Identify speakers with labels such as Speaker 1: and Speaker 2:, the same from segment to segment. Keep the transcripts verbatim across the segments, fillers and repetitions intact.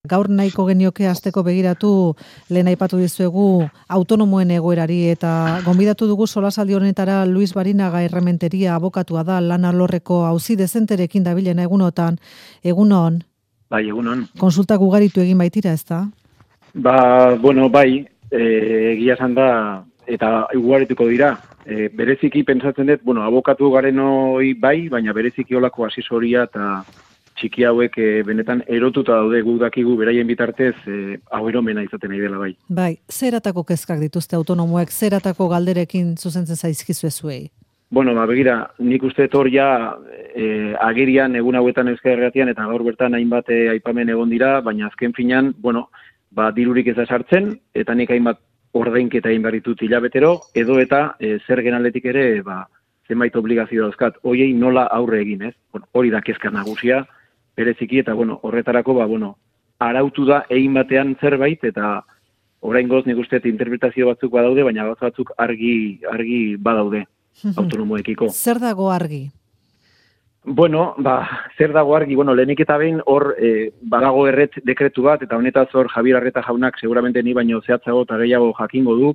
Speaker 1: Gaur nahiko genioke hasteko begiratu lehen aipatu dizuegu autonomoen egoerari eta gonbidatu dugu solasaldi honetara Luis Barinaga Errementeria abokatua da lan alorreko auzi dezenterekin dabilena egunotan. Egunon.
Speaker 2: Bai, egunon.
Speaker 1: Konsultak ugaritu egin baitira, ezta?
Speaker 2: Ba, bueno, bai, egia esan da eta ugarituko dira. E, bereziki pentsatzen dut, bueno, abokatu garen hoi bai, baina bereziki olako asesoria eta txiki hauek e, benetan erotuta daude guk dakigu beraien bitartez e, hau eromena izaten nahi dela bai.
Speaker 1: Bai, zeratako kezkak dituzte autonomoek, zeratako galderekin zuzentzen zaizkizu zuei?
Speaker 2: Bueno, ba, begira, nik uste hor ja e, agerian egun hauetan Euskal Herriatian eta gaur bertan hainbat e, aipamen egon dira, baina azken finean, bueno, ba, dirurik ez da sartzen, eta nik hainbat ordainketa egin behar ditut hilabetero, edo eta e, zergen aldetik ere, ba, zenbait obligazio dauzkat, hoiei nola aurre egin, ez? Bueno, hori da kezka nagusia, bereziki, eta bueno, horretarako, ba, bueno, arautu da egin batean zerbait, eta oraingoz nik uste interpretazio batzuk badaude, baina batzuk argi, argi badaude autonomoekiko.
Speaker 1: Zer dago argi?
Speaker 2: Bueno, ba, zer dago argi, bueno, lehenik eta behin hor e, badago erret dekretu bat, eta honetaz hor Javier Arreta jaunak seguramente ni baino zehatzago eta gehiago jakingo du,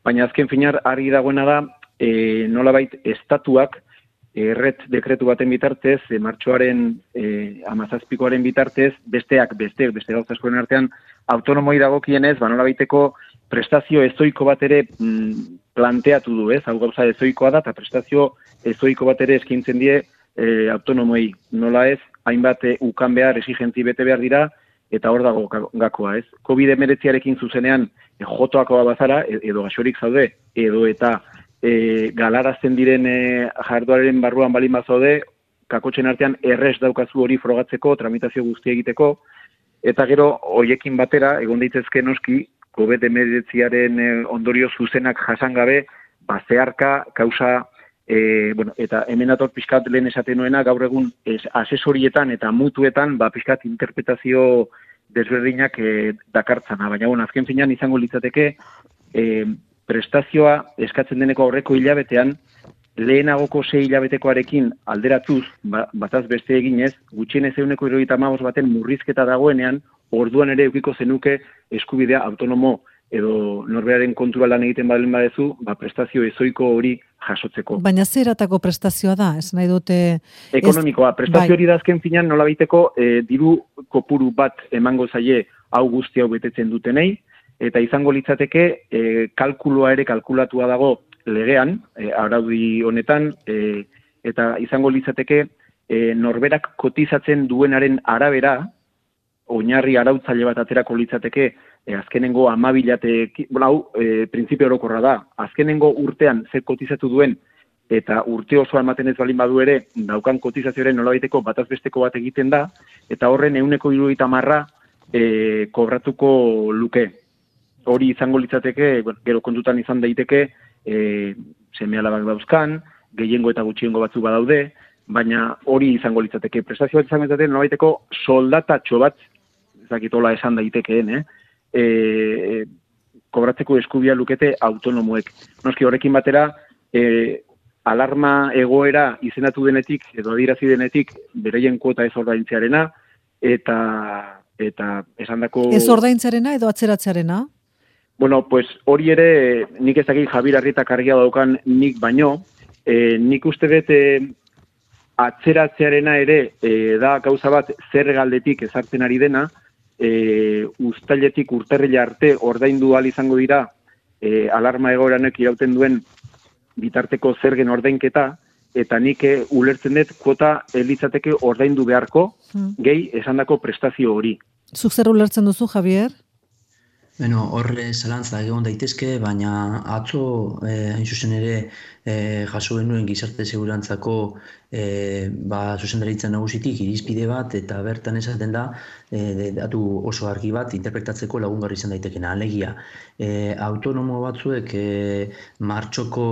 Speaker 2: baina azken finar argi dagoena da, e, nolabait estatuak erret dekretu baten bitartez, e, martxoaren e, amazazpikoaren bitartez, besteak besteak, beste gauza askoren artean, autonomoi dagokienez, ba, nolabaiteko prestazio ezoiko bat ere mm, planteatu du, ez? Hau gauza ezoikoa da, eta prestazio ezoiko bat ere eskintzen die e, autonomoi. Nola ez, hainbat e, ukan behar, exigenzi bete behar dira, eta hor dago gakoa, ez? covid hemeretziarekin zuzenean e, jotoakoa bazara, edo gaxorik zaude, edo eta e, galarazten diren e, jarduaren barruan balin bazaude, kakotxen artean errez daukazu hori frogatzeko, tramitazio guzti egiteko, eta gero, hoiekin batera, egon daitezke noski, covid hemeretziaren e, ondorio zuzenak jasan gabe, bazearka, kausa, e, bueno, eta hemen ator pixkat lehen esaten nuena, gaur egun es, asesorietan eta mutuetan, ba, pixkat interpretazio desberdinak e, dakartzana, baina bon, azken finean izango litzateke, e, prestazioa eskatzen deneko aurreko hilabetean, lehenagoko sei hilabetekoarekin alderatuz, ba, bataz beste eginez, gutxienez euneko hirurogeita hamabost baten murrizketa dagoenean, orduan ere eukiko zenuke eskubidea autonomo edo norberaren kontura lan egiten balen badezu, ba, prestazio ezoiko hori jasotzeko.
Speaker 1: Baina zeratako prestazioa da, ez nahi dute...
Speaker 2: Ekonomikoa, prestazio hori da azken finan nola baiteko e, diru kopuru bat emango zaie hau guzti hau betetzen dutenei, eta izango litzateke e, kalkuloa ere kalkulatua dago legean, e, araudi honetan, e, eta izango litzateke e, norberak kotizatzen duenaren arabera, oinarri arautzaile bat aterako litzateke, e, azkenengo amabilate, bueno, hau, e, printzipio orokorra da, azkenengo urtean zer kotizatu duen, eta urte osoa ematen ez balin badu ere, daukan kotizazioaren nolabaiteko batazbesteko bat egiten da, eta horren ehuneko hirurogeita hamarra e, kobratuko luke. Hori izango litzateke, bueno, gero kontutan izan daiteke, e, seme alabak dauzkan, gehiengo eta gutxiengo batzu badaude, baina hori izango litzateke. Prestazio bat izango litzateke, nolabaiteko soldatatxo bat, ezakitola esan daitekeen, eh? E, kobratzeko eskubia lukete autonomoek. Noski horrekin batera, e, alarma egoera izendatu denetik, edo adirazi denetik, bereien kuota ez ordaintzearena, eta, eta esandako...
Speaker 1: Ez ordaintzearena edo atzeratzearena?
Speaker 2: Bueno, pues hori ere, nik ez dakit Javier Arreta kargia daukan nik baino, e, nik uste dut e, atzeratzearena ere e, da gauza bat zer galdetik ezartzen ari dena, e, uztailetik urtarrila arte ordaindu ahal izango dira e, alarma egoeranek irauten duen bitarteko zergen ordainketa, eta nik e, ulertzen dut kuota elitzateke ordaindu beharko, hmm. gehi esandako prestazio hori.
Speaker 1: Zuk zer ulertzen duzu, Javier?
Speaker 3: Bueno, horre zalantza egon daitezke, baina atzo, eh, hain zuzen ere, eh, jaso genuen gizarte segurantzako eh, ba, zuzendaritzan nagusitik irizpide bat, eta bertan esaten da, eh, datu oso argi bat interpretatzeko lagungarri izan daitekena. Alegia, eh, autonomo batzuek eh, martxoko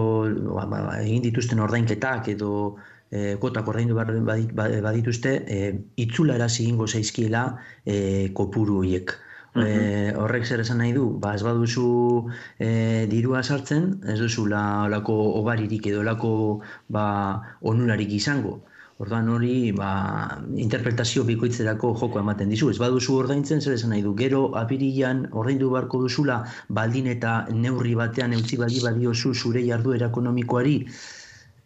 Speaker 3: ba, ba, egin dituzten ordainketak edo eh, kotak ordaindu badituzte, eh, itzula erasi egingo zaizkiela eh, kopuru horiek. E, horrek zer esan nahi du, ba, ez baduzu e, dirua sartzen, ez duzu la, olako obaririk edo olako ba, onurarik izango. Orduan hori, ba, interpretazio bikoitzerako joko ematen dizu. Ez baduzu ordaintzen, zer esan nahi du, gero apirilan ordaindu beharko duzula, baldin eta neurri batean eutzi bali baliozu zure jarduera ekonomikoari,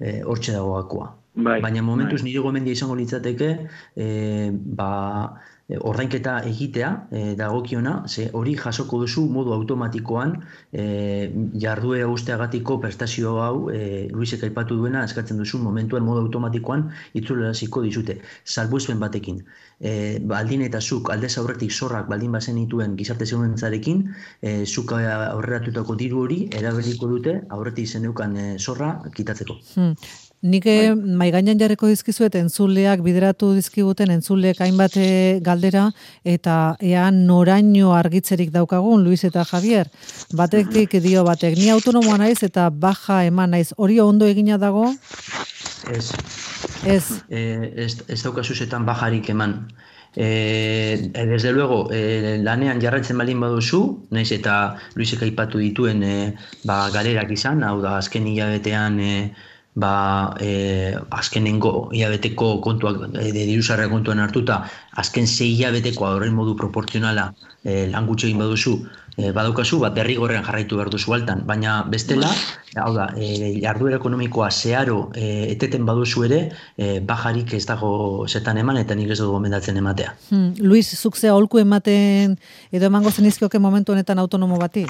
Speaker 3: e, hortxe dago gakoa.
Speaker 2: Bai,
Speaker 3: Baina momentuz
Speaker 2: bai.
Speaker 3: nire gomendia izango litzateke, e, ba, ordainketa egitea e, dagokiona, ze hori jasoko duzu modu automatikoan e, jarduera guztiagatiko prestazio hau, e, Luisek aipatu duena, eskatzen duzu momentuan modu automatikoan itzuleraziko dizute. Salbuespen batekin, e, baldin eta zuk aldez aurretik zorrak baldin bazen dituen gizarte segurantzarekin, e, zuk aurreratutako diru hori erabiliko dute aurretik zeneukan e, zorra kitatzeko.
Speaker 1: Hmm. Nik mai gainean jarriko dizkizuet entzuleak bideratu dizkiguten entzuleek hainbat galdera eta ea noraino argitzerik daukagun Luis eta Javier. Batetik dio batek, ni autonomoa naiz eta baja eman naiz. Hori ondo egina dago?
Speaker 3: Ez.
Speaker 1: Ez.
Speaker 3: E, ez, ez daukazuzetan bajarik eman. E, desde luego, e, lanean jarraitzen balin baduzu, naiz eta Luisek aipatu dituen e, ba, galerak izan, hau da azken hilabetean e, ba, e, azkenengo hilabeteko kontuak, e, diruzarra kontuan hartuta, azken sei hilabetekoa horren modu proportzionala e, lan gutxi egin baduzu, e, badaukazu, bat derrigorrean jarraitu behar duzu altan, baina bestela, hau da, e, jarduera ekonomikoa zeharo e, eteten baduzu ere, e, bajarik ez dago zetan eman, eta nik ez dugu gomendatzen ematea.
Speaker 1: Hmm. Luis, zuk ze aholku ematen edo emango zenizkioke momentu honetan autonomo bati?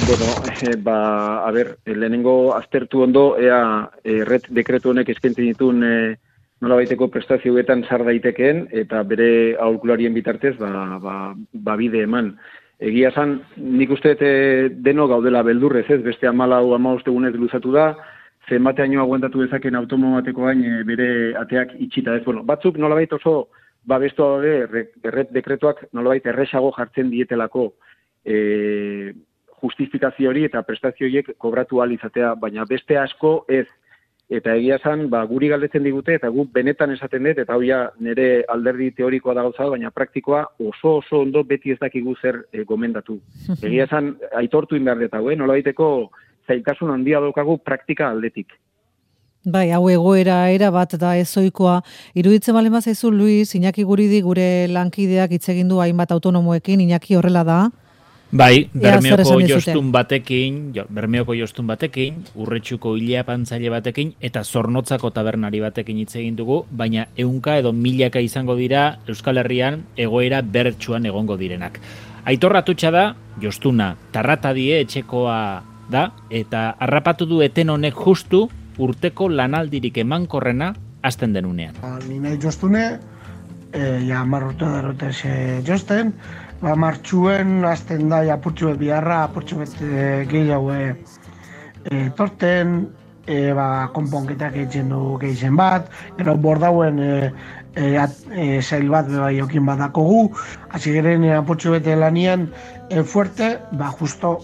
Speaker 2: Bueno, eh, ba, a ber, lehenengo aztertu ondo, ea erret dekretu honek eskaintzen dituen eh, nolabaiteko prestazioetan sar daitekeen, eta bere aholkularien bitartez, ba, ba, ba bide eman. Egia esan, nik uste e, deno gaudela beldurrez, ez, beste amalau amabost egunez luzatu da, zenbateaino aguantatu dezaken autonomo bateko gain e, bere ateak itxita, ez, bueno, batzuk nolabait oso babestu daude erret dekretuak nolabait erresago jartzen dietelako e, justifikazio hori eta prestazio horiek kobratu ahal izatea, baina beste asko ez. Eta egia esan, ba, guri galdetzen digute, eta gu benetan esaten dut, eta hau nire alderdi teorikoa da gauza, baina praktikoa oso oso ondo beti ez dakigu zer e, gomendatu. Egia esan, aitortu inbehar dut hau, eh? Nolabaiteko zailtasun handia daukagu praktika aldetik.
Speaker 1: Bai, hau egoera era bat da ezoikoa. Iruditzen balen bazaizu, Luis, Iñaki Guridi gure lankideak hitz egin du hainbat autonomoekin, Iñaki horrela da.
Speaker 4: Bai, Bermeoko jostun batekin, jo, Bermeoko jostun batekin, Urretxuko hilea pantzaile batekin, eta Zornotzako tabernari batekin hitz egin dugu, baina ehunka edo milaka izango dira Euskal Herrian egoera bertsuan egongo direnak. Aitor Atutxa da, jostuna, tarratadie etxekoa da, eta harrapatu du eten honek justu urteko lanaldirik emankorrena hasten denunean.
Speaker 5: Ni nahi jostune, e, ja marrotu darrotez e, josten, ba, martxuen azten da apurtxu bet biharra, apurtxu bet e, gehiago e, e, torten, e, ba, konponketak egiten du gehizen bat, gero bordauen e, e, e, zail bat beba jokin badakogu, hasi geren e, apurtxu bet lanian e, fuerte, ba, justo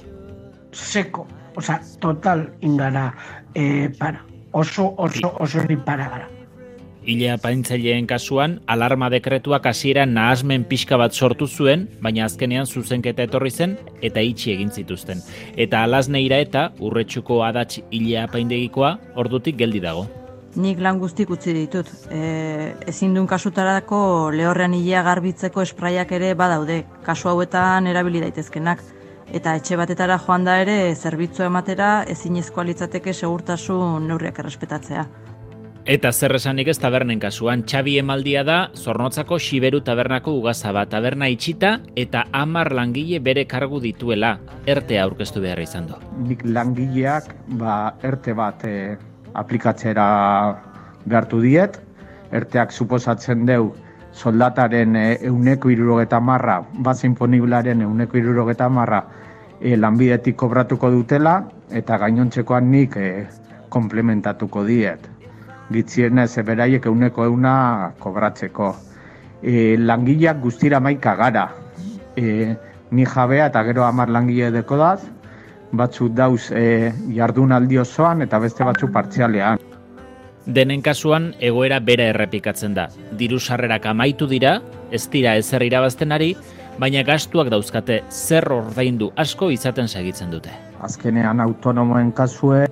Speaker 5: seko, oza, total ingara e, para, oso, oso, oso ni para gara.
Speaker 4: Hilea paintzaileen kasuan, alarma dekretuak hasieran nahasmen pixka bat sortu zuen, baina azkenean zuzenketa etorri zen eta itxi egin zituzten. Eta Alasneira eta Urretxuko adatx hilea paindegikoa ordutik geldi dago.
Speaker 6: Nik lan guztik utzi ditut. E, ezin duen kasutarako lehorrean hilea garbitzeko espraiak ere badaude, kasu hauetan erabili daitezkenak. Eta etxe batetara joan da ere, zerbitzu ematera ezinezkoa litzateke segurtasun neurriak errespetatzea.
Speaker 4: Eta zer esanik ez tabernen kasuan, Txabi emaldia da Zornotzako Xiberu tabernako ugazaba, taberna itxita eta hamar langile bere kargu dituela, ertea aurkeztu behar izan du.
Speaker 7: Nik langileak ba, erte bat e, aplikatzera behartu diet, erteak suposatzen deu soldataren e, euneko irurogeta marra, bazen poniblaren euneko irurogeta marra e, lanbidetik kobratuko dutela, eta gainontzekoan nik e, komplementatuko diet. Gitzienez, beraiek euneko euna kobratzeko. E, langileak guztira maika gara. E, ni jabea eta gero hamar langile deko daz, batzuk dauz e, jardunaldi osoan eta beste batzuk partzialean.
Speaker 4: Denen kasuan egoera bera errepikatzen da. Diru sarrerak amaitu dira, ez dira ezer irabazten ari, baina gastuak dauzkate zer ordaindu asko izaten segitzen dute.
Speaker 7: Azkenean autonomoen kasue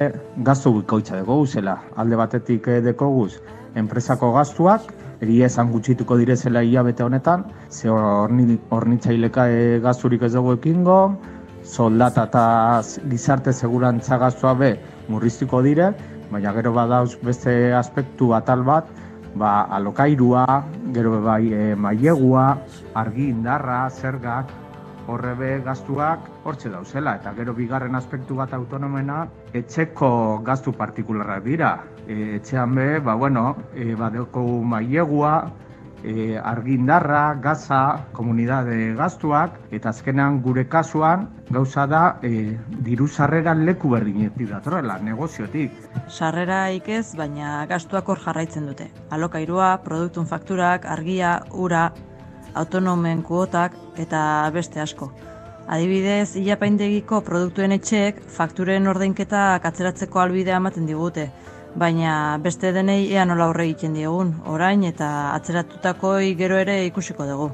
Speaker 7: gaztu bikoitza deko guzela. Alde batetik deko guz, enpresako gastuak, egia esan gutxituko direzela hilabete honetan, ze horni, hornitzaileka e, gasturik ez dugu ekingo, soldata eta gizarte segurantza gastua be murriztuko dire, baina gero badauz beste aspektu atal bat, ba, alokairua, gero bai e, mailegua, argi indarra, zergak, horre be gastuak hortxe dauzela, eta gero bigarren aspektu bat autonomena, etxeko gastu partikularrak dira. E, etxean be, ba, bueno, e, badeko mailegua, e, argi indarra, gaza, komunidade gastuak, eta azkenean gure kasuan, gauza da, e, diru sarreran leku berdinetik datorrela, negoziotik.
Speaker 6: Sarrera ikez, baina gastuak hor jarraitzen dute. Alokairua, produktun fakturak, argia, ura, autonomen kuotak eta beste asko. Adibidez, ilapaindegiko produktuen etxeek fakturen ordainketak atzeratzeko albidea ematen digute, baina beste denei ea nola horre egiten diegun, orain eta atzeratutako gero ere ikusiko dugu.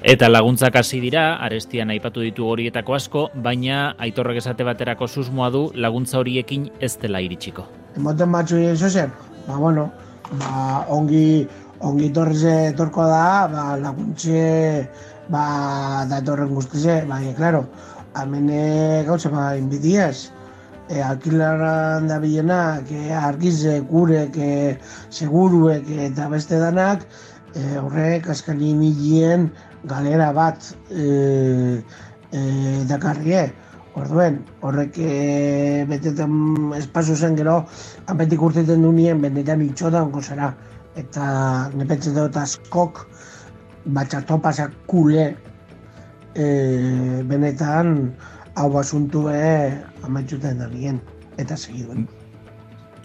Speaker 4: Eta laguntzak hasi dira, arestian aipatu ditu horietako asko, baina Aitorrek esate baterako susmoa du laguntza horiekin ez dela iritsiko.
Speaker 5: Emoten batzu zozen, ba, bueno, ba, ongi, ongi torreze torko da, ba, laguntze, ba, da torren guztize, baina, klaro, amene gautze, ba, inbidiaz, e, alkilaran da bilenak, e, argize, gurek, e, seguruek eta beste danak, e, horrek askani milien galera bat e, e, dakarrie. Orduen, horrek e, betetan espazu zen gero, hanpetik urteten du nien, benetan itxota onko zara. Eta nepetze dut askok, batxatopasak kule, e, benetan hau basuntu e, amaitxuten da nien, eta segiduen.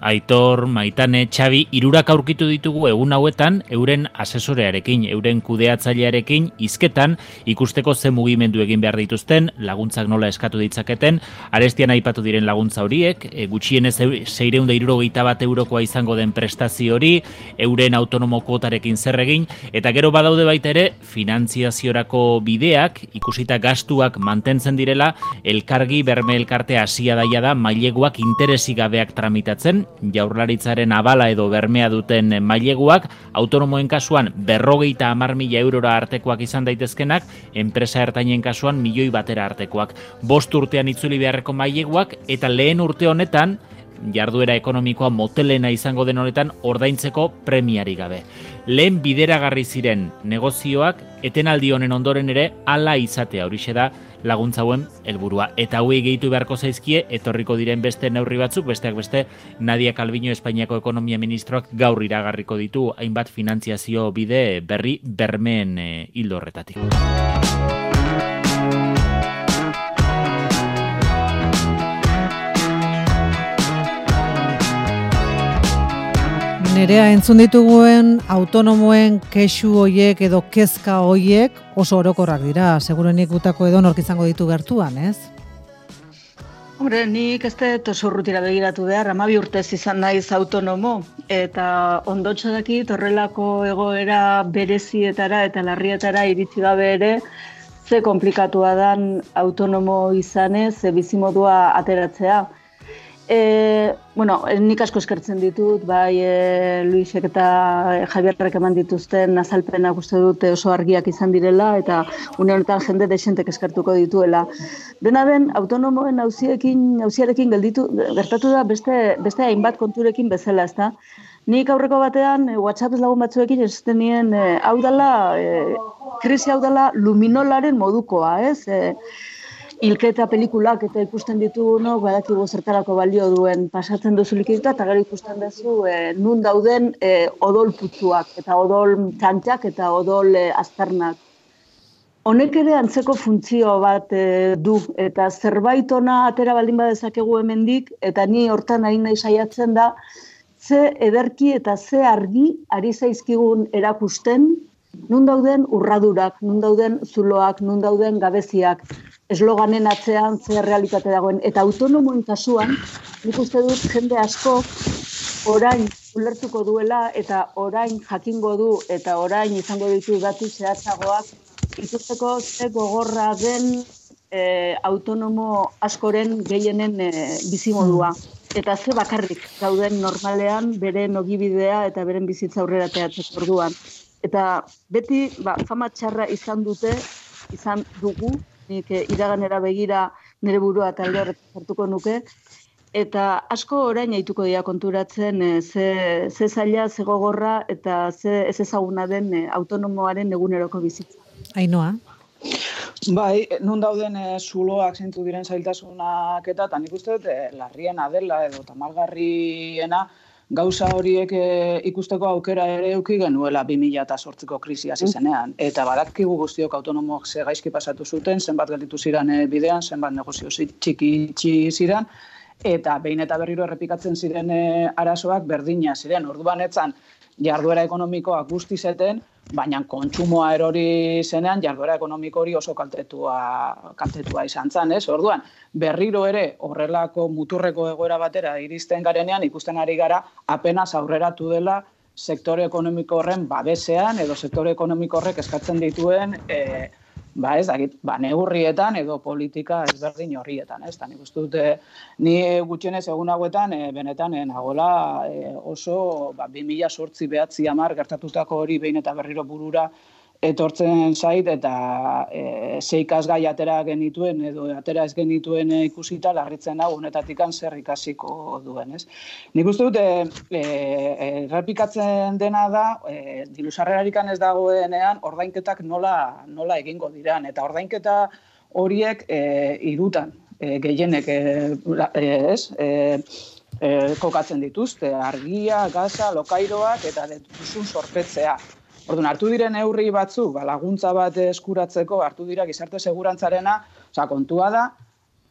Speaker 4: Aitor, Maitane, Xabi, hirurak aurkitu ditugu egun hauetan euren asesorearekin, euren kudeatzailearekin, hizketan ikusteko ze mugimendu egin behar dituzten, laguntzak nola eskatu ditzaketen, arestian aipatu diren laguntza horiek, e, gutxienez seiehun eta hirurogeita bat eurokoa izango den prestazio hori, euren autonomo kuotarekin zer egin, eta gero badaude baita ere finantziaziorako bideak, ikusita gastuak mantentzen direla, elkargi berme elkartea hasia daia da maileguak interesik gabeak tramitatzen, Jaurlaritzaren abala edo bermea duten maileguak, autonomoen kasuan berrogeita hamar mila eurora artekoak izan daitezkenak, enpresa ertainen kasuan milioi batera artekoak. Bost urtean itzuli beharreko maileguak, eta lehen urte honetan, jarduera ekonomikoa motelena izango den honetan, ordaintzeko premiari gabe. Lehen bideragarri ziren negozioak, etenaldi honen ondoren ere, hala izatea horixe da laguntza hauen helburua. Eta hauei gehitu beharko zaizkie, etorriko diren beste neurri batzuk, besteak beste, Nadia Calviño Espainiako ekonomia ministroak gaur iragarriko ditu hainbat finantziazio bide berri bermeen e, hildo horretatik.
Speaker 1: Nerea, entzun dituguen autonomoen kexu hoiek edo kezka hoiek oso orokorrak dira, segurenik gutako edo nork izango ditu gertuan, ez?
Speaker 8: Hombre, nik ez dut oso urrutira begiratu behar, hamabi urtez izan naiz autonomo, eta ondotxo dakit horrelako egoera berezietara eta larrietara iritsi gabe ere, ze komplikatua dan autonomo izanez, ze bizimodua ateratzea. E, bueno, nik asko eskertzen ditut, bai e, Luisek eta Javierrek eman dituzten azalpenak uste dute oso argiak izan direla eta une honetan jende desentek eskertuko dituela. Dena den, autonomoen auziekin, auziarekin gelditu, gertatu da beste, beste hainbat konturekin bezala, ezta? Nik aurreko batean e, WhatsApp lagun batzuekin esaten nien e, hau dela, e, krisi hau dela luminolaren modukoa, ez? E, Hilketa pelikulak eta ikusten ditugunok, badakigu zertarako balio duen pasatzen duzu likidita, eta gero ikusten duzu e, nun dauden e, odol putzuak, eta odol txantxak, eta odol e, azternak. Honek ere antzeko funtzio bat e, du, eta zerbait ona atera baldin badezakegu hemendik, eta ni hortan ari nahi saiatzen da, ze ederki eta ze argi ari zaizkigun erakusten, nun dauden urradurak, nun dauden zuloak, nun dauden gabeziak, esloganen atzean ze realitate dagoen. Eta autonomoen kasuan, nik uste dut jende asko orain ulertuko duela eta orain jakingo du eta orain izango ditu datu zehatzagoak ikusteko ze gogorra den e, autonomo askoren gehienen e, bizimodua. eta ze bakarrik gauden normalean beren ogibidea eta beren bizitza aurrera ateratzeko orduan. Eta beti ba, fama txarra izan dute, izan dugu, nik eh, iraganera begira nire burua talde horretan hartuko nuke, eta asko orain aituko dira konturatzen e, ze, ze zaila, ze gogorra eta ze ez ezaguna den e, autonomoaren eguneroko bizitza.
Speaker 1: Ainhoa?
Speaker 9: Bai, nun dauden e, zuloak zeintu diren zailtasunak eta, eta nik uste dut e, larriena dela edo tamalgarriena gauza horiek e, ikusteko aukera ere eduki genuela bi mila zortziko krisia hasi zenean. Eta badakigu guztiok autonomoak ze gaizki pasatu zuten, zenbat gelditu ziren e, bidean, zenbat negozio txiki txiki ziren, eta behin eta berriro errepikatzen ziren e, arazoak berdina ziren. Orduan etzan jarduera ekonomikoak guzti zeten, baina kontsumoa erori zenean jarduera ekonomiko hori oso kaltetua, kaltetua izan zen, ez? Orduan, berriro ere horrelako muturreko egoera batera iristen garenean ikusten ari gara apenas aurreratu dela sektore ekonomiko horren babesean edo sektore ekonomiko horrek eskatzen dituen e, ba ez dakit, ba neurrietan edo politika ezberdin horrietan, ez? Ta nik uste dut ni gutxienez egun hauetan e, benetan e, nagola e, oso ba bi mila zortzi bederatzi hamar gertatutako hori behin eta berriro burura etortzen zait eta e, ze ikasgai atera genituen edo atera ez genituen e, ikusita larritzen hau honetatikan zer ikasiko duen, ez? Nik uste dut e, e, errepikatzen dena da e, diru sarrerarikan ez dagoenean ordainketak nola nola egingo diran eta ordainketa horiek e, hirutan e, gehienek e, ez e, e, kokatzen dituzte argia, gaza, lokairoak eta duzun zorpetzea. Orduan, hartu diren neurri batzuk, ba, laguntza bat eskuratzeko, hartu dira gizarte segurantzarena, osea, kontua da,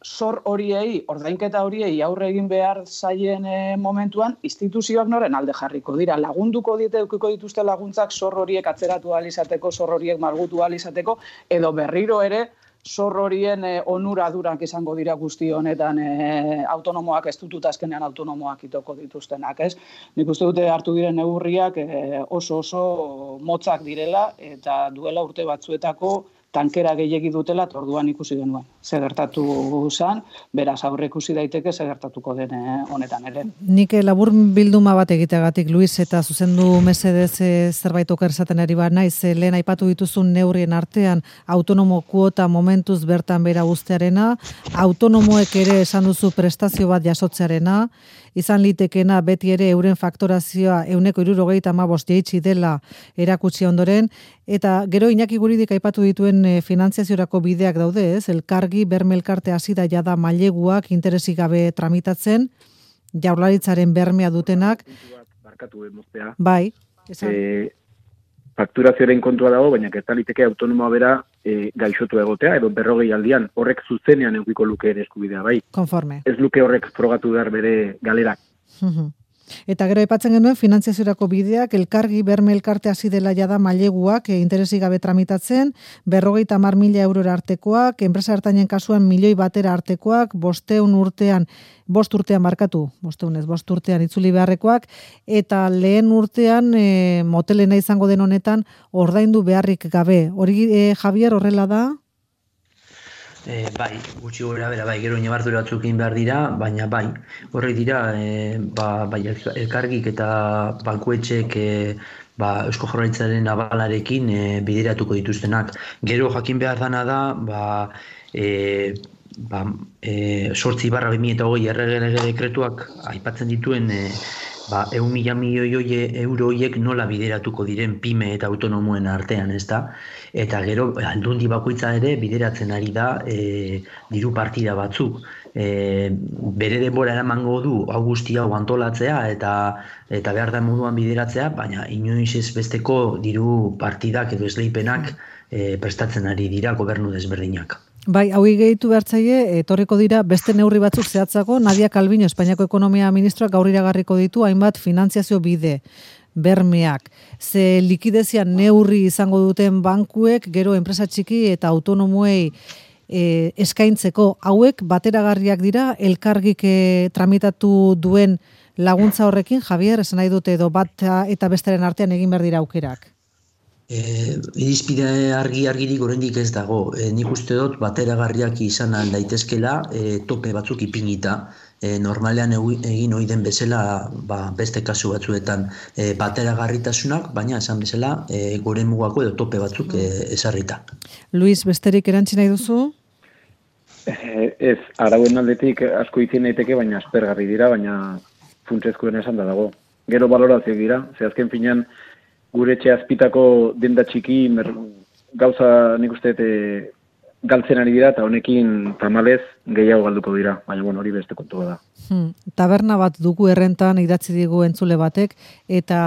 Speaker 9: zor horiei, ordainketa horiei aurre egin behar zaien e, momentuan, instituzioak noren alde jarriko dira. Lagunduko diete edukiko dituzte laguntzak zor horiek atzeratu ahal izateko, zor horiek malgutu ahal izateko, edo berriro ere, zor horien e, onuradurak izango dira guzti honetan e, autonomoak ez dutut azkenean autonomoak itoko dituztenak, ez? Nik uste dute hartu diren neurriak e, oso oso motzak direla eta duela urte batzuetako tankera gehiegi dutela, eta orduan ikusi genuen. Ze gertatu zen, beraz aurre ikusi daiteke ze gertatuko den honetan ere.
Speaker 1: Nik labur bilduma bat egiteagatik, Luis, eta zuzendu mesedez zerbait oker esaten ari bat naiz, lehen aipatu dituzun neurrien artean autonomo kuota momentuz bertan bera guztearena, autonomoek ere esan duzu prestazio bat jasotzearena, izan litekena beti ere euren faktorazioa euneko hirurogeita hamabost jaitsi dela erakutsi ondoren, eta gero Iñaki Guridik aipatu dituen e, finantziaziorako bideak daude, ez? Elkargi, berme elkarte hasi da jada maileguak interesik gabe tramitatzen, Jaurlaritzaren bermea dutenak.
Speaker 2: Barkatu emoztea.
Speaker 1: Bai, esan.
Speaker 2: E, fakturazioaren kontua dago, baina gertaliteke autonomoa bera e, gaixotu egotea, edo berrogei aldian, horrek zuzenean edukiko luke ere eskubidea, bai.
Speaker 1: Konforme.
Speaker 2: Ez luke horrek frogatu behar bere galerak.
Speaker 1: Eta gero aipatzen genuen finantziaziorako bideak, elkargi berme elkarte hasi dela jada maileguak e, interesik gabe tramitatzen, berrogeita hamar mila eurora artekoak, enpresa ertainen kasuan milioi batera artekoak, bosteun urtean, bost urtean markatu, bosteun ez, bost urtean itzuli beharrekoak, eta lehen urtean e, motelena izango den honetan ordaindu beharrik gabe. Hori e, Javier horrela da?
Speaker 3: E, bai, gutxi gora bera, bai, gero inabardure batzuk egin behar dira, baina bai, horrek dira, e, ba, bai, elkargik eta bankuetxek e, ba, Eusko Jaurlaritzaren abalarekin e, bideratuko dituztenak. Gero jakin behar dana da, ba, e, ba, e, sortzi barra bi mila eta hogei errege dekretuak aipatzen dituen e, ba, eun mila milioi euro horiek nola bideratuko diren pyme eta autonomoen artean, ez da? Eta gero aldundi bakoitza ere bideratzen ari da e, diru partida batzuk. E, bere denbora eramango du hau guzti hau antolatzea eta eta behar da moduan bideratzea, baina inoiz ez besteko diru partidak edo esleipenak e, prestatzen ari dira gobernu desberdinak.
Speaker 1: Bai, hau gehitu behartzaile, etorriko dira beste neurri batzuk zehatzako, Nadia Calviño, Espainiako Ekonomia Ministroak gaur iragarriko ditu hainbat finantziazio bide, bermeak. Ze likidezian neurri izango duten bankuek, gero enpresa txiki eta autonomoei e, eskaintzeko hauek bateragarriak dira, elkargik e, tramitatu duen laguntza horrekin, Javier, esan nahi dute edo bat eta besteren artean egin behar dira aukerak.
Speaker 3: E, irizpide argi argirik oraindik ez dago. E, nik uste dut bateragarriak izan daitezkela e, tope batzuk ipinita. e, normalean egin ohi den bezala ba, beste kasu batzuetan e, bateragarritasunak, baina esan bezala e, gure mugako edo tope batzuk e, ezarrita.
Speaker 1: Luis, besterik erantzi nahi duzu?
Speaker 2: Eh, ez, arauen aldetik asko izin daiteke, baina aspergarri dira, baina funtsezkoen esan da dago. Gero balorazioak dira, ze azken finean gure etxe azpitako denda txiki mer, gauza nik uste e, galtzen ari dira, eta honekin tamalez gehiago galduko dira, baina bueno, hori beste kontua da.
Speaker 1: Hmm. Taberna bat dugu errentan idatzi digu entzule batek, eta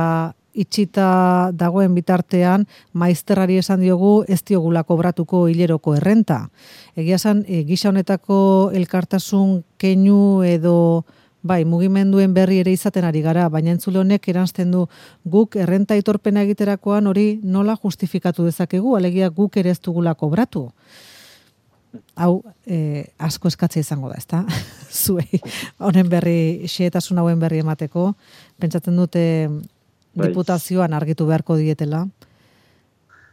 Speaker 1: itxita dagoen bitartean maizterrari esan diogu ez diogula kobratuko hileroko errenta. Egia esan, e, gisa honetako elkartasun keinu edo bai, mugimenduen berri ere izaten ari gara, baina entzule honek eranzten du guk errenta aitorpena egiterakoan hori nola justifikatu dezakegu, alegia guk ere ez dugula kobratu. Hau, eh, asko eskatzea izango da, ezta? Zuei, honen berri, xehetasun hauen berri emateko, pentsatzen dute bai. Diputazioan argitu beharko dietela.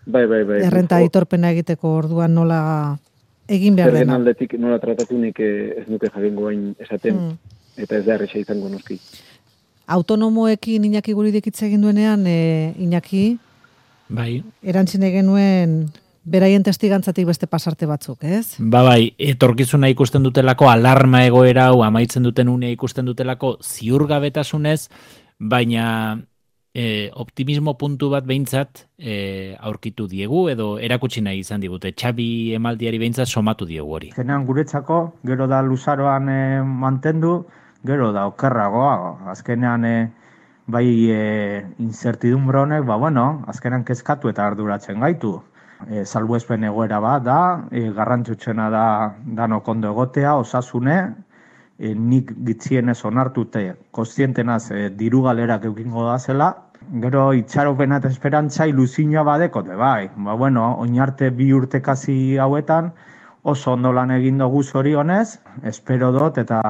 Speaker 2: Bai, bai, bai.
Speaker 1: Errenta aitorpena egiteko orduan nola egin behar dena.
Speaker 2: Zergen aldetik nola tratatu nik ez nuke jakingo hain esaten. Hmm. Eta ez da erresa izango noski.
Speaker 1: Autonomoekin Iñaki Guridik hitz egin duenean, e, Iñaki,
Speaker 4: bai.
Speaker 1: Erantzine genuen beraien testigantzatik beste pasarte batzuk, ez?
Speaker 4: Ba bai, etorkizuna ikusten dutelako, alarma egoera hau amaitzen duten unea ikusten dutelako ziurgabetasunez, baina e, optimismo puntu bat behintzat e, aurkitu diegu, edo erakutsi nahi izan digute. Xabi emaldiari behintzat somatu diegu hori.
Speaker 7: Zenean guretzako, gero da luzaroan e, mantendu, gero da okerragoa, azkenean e, bai e, incertidumbre honek, ba bueno, azkenean kezkatu eta arduratzen gaitu. E, salbuespen egoera bat da, e, garrantzutsuena da danok ondo egotea, osasune, e, nik gitzienez onartute, kontzientenaz e, diru galerak eukingo da zela, gero itxaropena eta esperantza iluzioa badekote, bai, ba bueno, oinarte bi urte kasi hauetan, oso ondo lan egin dugu zorionez, espero dut eta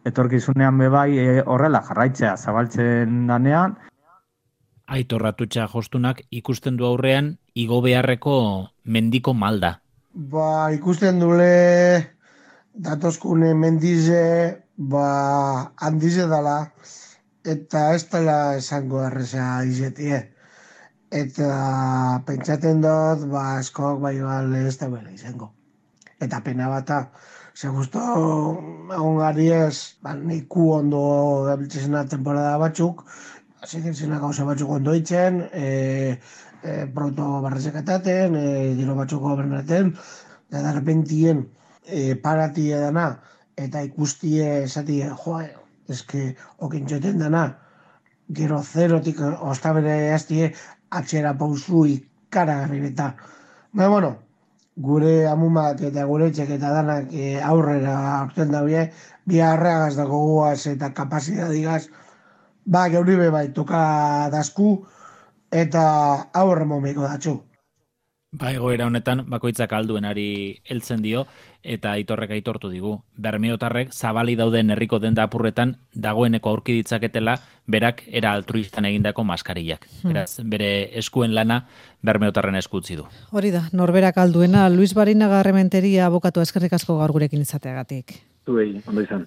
Speaker 7: etorkizunean bebai e, horrela jarraitzea zabaltzen danean.
Speaker 4: Aitor Atutxa jostunak ikusten du aurrean igo beharreko mendiko malda.
Speaker 5: Ba, ikusten dule datozkune mendize, ba, handize dala, eta ez dela esango erreza izetie. Eta pentsaten dut, ba, eskok bai bale ez da bela izango. Eta pena bata, ze justo egon gari ez, ba, niku ondo gabiltzezena temporada batzuk, zikirtzena gauza batzuk ondo itzen, e, e, proto barrezekataten, e, dilo batzuk gobernaten, eta darrepentien e, parati edana, eta ikustie esatie, joa, eske okintxoten dana, gero zerotik ostabere hastie atxera pausu ikaragarri eta. Baina, bueno, gure amumak eta gure etxek eta danak e, aurrera aurten daue, bi harreagaz dago guaz eta kapasidadigaz, ba, geuri be bai, toka dasku eta aurre momeko datxu.
Speaker 4: Ba, egoera honetan, bakoitzak alduenari heltzen dio, eta Aitorrek aitortu digu. Bermeotarrek zabali dauden herriko denda apurretan dagoeneko aurki ditzaketela berak era altruistan egindako maskarillak. Hmm. Beraz, bere eskuen lana Bermeotarren esku utzi du.
Speaker 1: Hori da, norberak alduena, Luis Barinaga Errementeria abokatu eskerrik asko gaur gurekin izateagatik.
Speaker 2: Zuei, ondo izan.